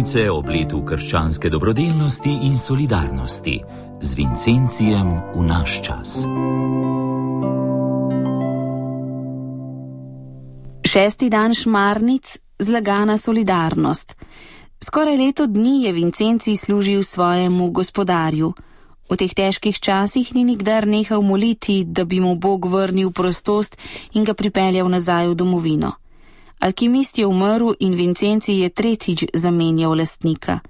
počitnice ob letu krščanske dobrodelnosti in solidarnosti z Vincencijem v naš čas. 6. dan šmarnic, zlagana solidarnost. Skoraj leto dni je Vincencij služil svojemu gospodarju. V teh težkih časih ni nikdar nehal moliti, da bi mu Bog vrnil prostost in ga pripeljal nazaj v domovino. Alkimist je umrl in Vincencij je tretjič zamenjal lastnika.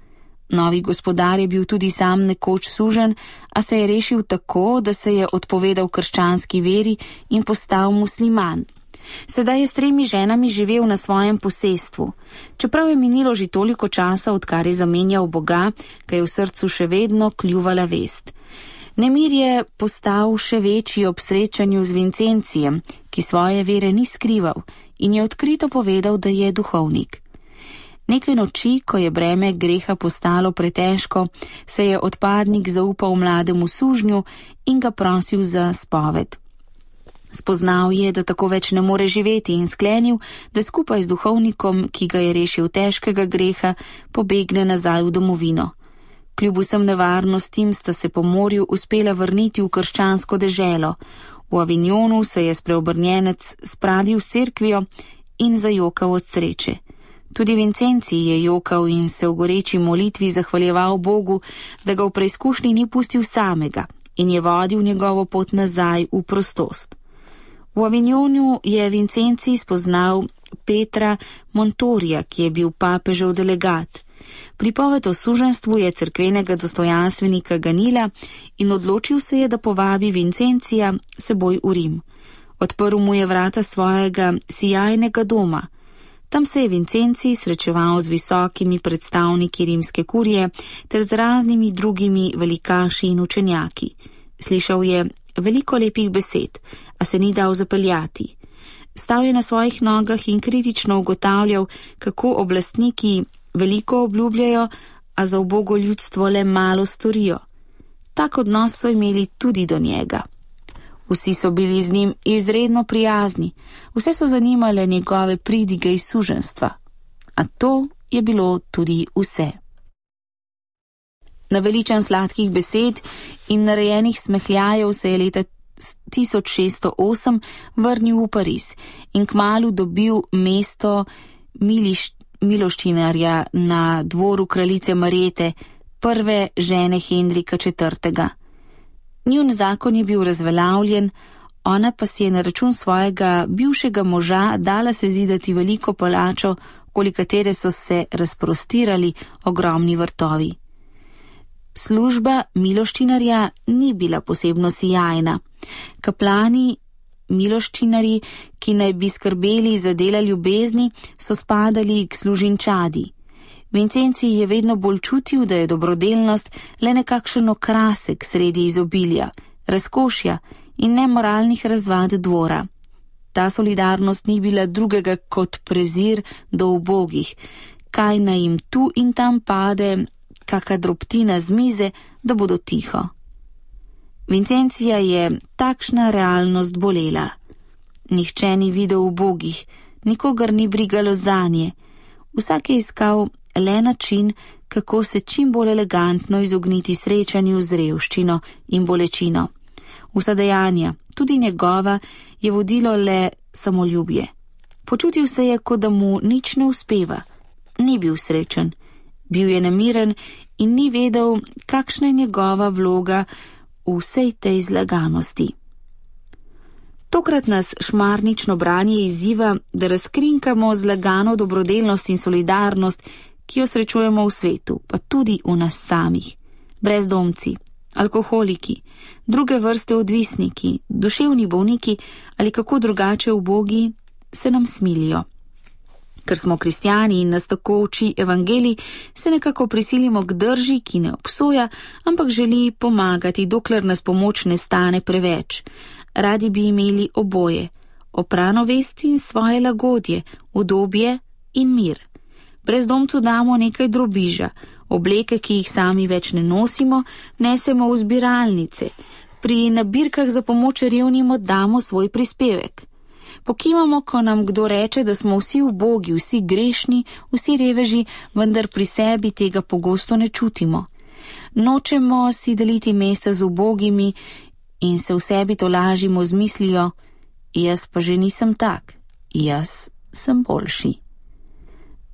Novi gospodar je bil tudi sam nekoč suženj, a se je rešil tako, da se je odpovedal krščanski veri in postal musliman. Sedaj je s 3 ženami živel na svojem posestvu. Čeprav je minilo že toliko časa, odkar je zamenjal Boga, ga je v srcu še vedno kljuvala vest. Nemir je postal še večji ob srečanju z Vincencijem, ki svoje vere ni skrival in je odkrito povedal, da je duhovnik. Nekaj noči, ko je breme greha postalo pretežko, se je odpadnik zaupal mlademu sužnju in ga prosil za spoved. Spoznal je, da tako več ne more živeti in sklenil, da skupaj z duhovnikom, ki ga je rešil težkega greha, pobegne nazaj v domovino. Kljub vsem nevarnostim sta se po morju uspela vrniti v krščansko deželo. V Avignonu se je spreobrnjenec spravil s cerkvijo in zajokal od sreče. Tudi Vincencij je jokal in se v goreči molitvi zahvaljeval Bogu, da ga v preizkušnji ni pustil samega in je vodil njegovo pot nazaj v prostost. V Avignonu je Vincencij spoznal Petra Montorija, ki je bil papežev delegat. Pripoved o suženstvu je cerkvenega dostojanstvenika ganila in odločil se je, da povabi Vincencija seboj v Rim. Odprl mu je vrata svojega sijajnega doma. Tam se je Vincencij srečeval z visokimi predstavniki rimske kurije ter z raznimi drugimi velikaši in učenjaki. Slišal je veliko lepih besed, a se ni dal zapeljati. Stal je na svojih nogah in kritično ugotavljal, kako oblastniki veliko obljubljajo, a za ubogo ljudstvo le malo storijo. Tak odnos so imeli tudi do njega. Vsi so bili z njim izredno prijazni, vse so zanimale njegove pridige iz suženjstva. A to je bilo tudi vse. Naveličan sladkih besed in narejenih smehljajev se je leta 1608 vrnil v Pariz in kmalu dobil mesto miloščinarja na dvoru kraljice Marjete, prve žene Henrika IV. Njun zakon je bil razveljavljen, ona pa si je na račun svojega bivšega moža dala sezidati veliko palačo, okoli katere so se razprostirali ogromni vrtovi. Služba miloščinarja ni bila posebno sijajna. Kaplani, miloščinarji, ki naj bi skrbeli za dela ljubezni, so spadali k služinčadi. Vincencij je vedno bolj čutil, da je dobrodelnost le nekakšen okrasek sredi izobilja, razkošja in nemoralnih razvad dvora. Ta solidarnost ni bila drugega kot prezir do ubogih, kaj naj jim tu in tam pade, kaka drobtina z mize, da bodo tiho. Vincencija je takšna realnost bolela. Nihče ni videl ubogih, nikogar ni brigalo zanje. Vsak je iskal le način, kako se čim bolj elegantno izogniti srečanju z revščino in bolečino. Vsa dejanja, tudi njegova, je vodilo le samoljubje. Počutil se je, kot da mu nič ne uspeva. Ni bil srečen. Bil je nemiren in ni vedel, kakšna je njegova vloga v vsej tej zlaganosti. Tokrat nas šmarnično branje izziva, da razkrinkamo zlagano dobrodelnost in solidarnost, ki jo srečujemo v svetu, pa tudi v nas samih. Brezdomci, alkoholiki, druge vrste odvisniki, duševni bolniki ali kako drugače ubogi se nam smilijo. Ker smo kristjani in nas tako uči evangelij, se nekako prisilimo k drži, ki ne obsoja, ampak želi pomagati, dokler nas pomoč ne stane preveč. Radi bi imeli oboje, oprano vest in svoje lagodje, udobje in mir. Brezdomcu damo nekaj drobiža, obleke, ki jih sami več ne nosimo, nesemo v zbiralnice. Pri nabirkah za pomoč revnim oddamo svoj prispevek. Pokimamo, ko nam kdo reče, da smo vsi ubogi, vsi grešni, vsi reveži, vendar pri sebi tega pogosto ne čutimo. Nočemo si deliti mesta z ubogimi in se v sebi tolažimo z mislijo, jaz pa že nisem tak, jaz sem boljši.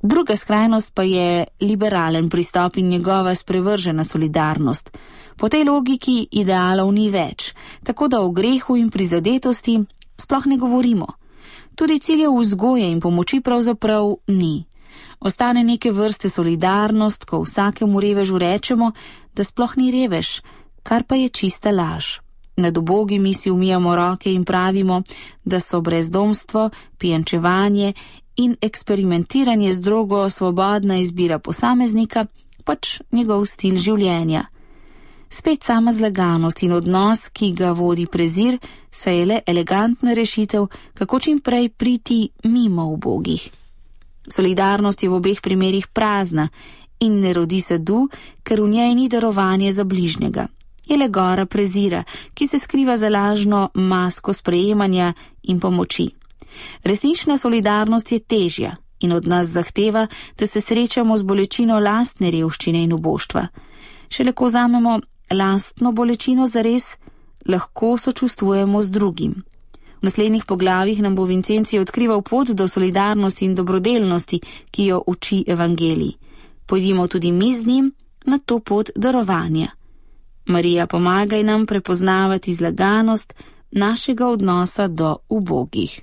Druga skrajnost pa je liberalen pristop in njegova sprevržena solidarnost. Po tej logiki idealov ni več, tako da o grehu in prizadetosti sploh ne govorimo. Tudi ciljev vzgoje in pomoči pravzaprav ni. Ostane neke vrste solidarnost, ko vsakemu revežu rečemo, da sploh ni revež, kar pa je čista laž. Nad ubogimi si umijamo roke in pravimo, da so brezdomstvo, pijančevanje in eksperimentiranje z drogo svobodna izbira posameznika, pač njegov stil življenja. Spet sama zlaganost in odnos, ki ga vodi prezir, saj je le elegantna rešitev, kako čim prej priti mimo ubogih. Solidarnost je v obeh primerih prazna in ne rodi sadu, ker v njej ni darovanje za bližnjega. Je le gora prezira, ki se skriva za lažno masko sprejemanja in pomoči. Resnična solidarnost je težja in od nas zahteva, da se srečamo z bolečino lastne revščine in uboštva. Šele ko vzamemo lastno bolečino zares, lahko sočustvujemo z drugim. V naslednjih poglavjih nam bo Vincenci odkrival pot do solidarnosti in dobrodelnosti, ki jo uči evangelij. Pojdimo tudi mi z njim na to pot darovanja. Marija, pomagaj nam prepoznavati zlaganost našega odnosa do ubogih.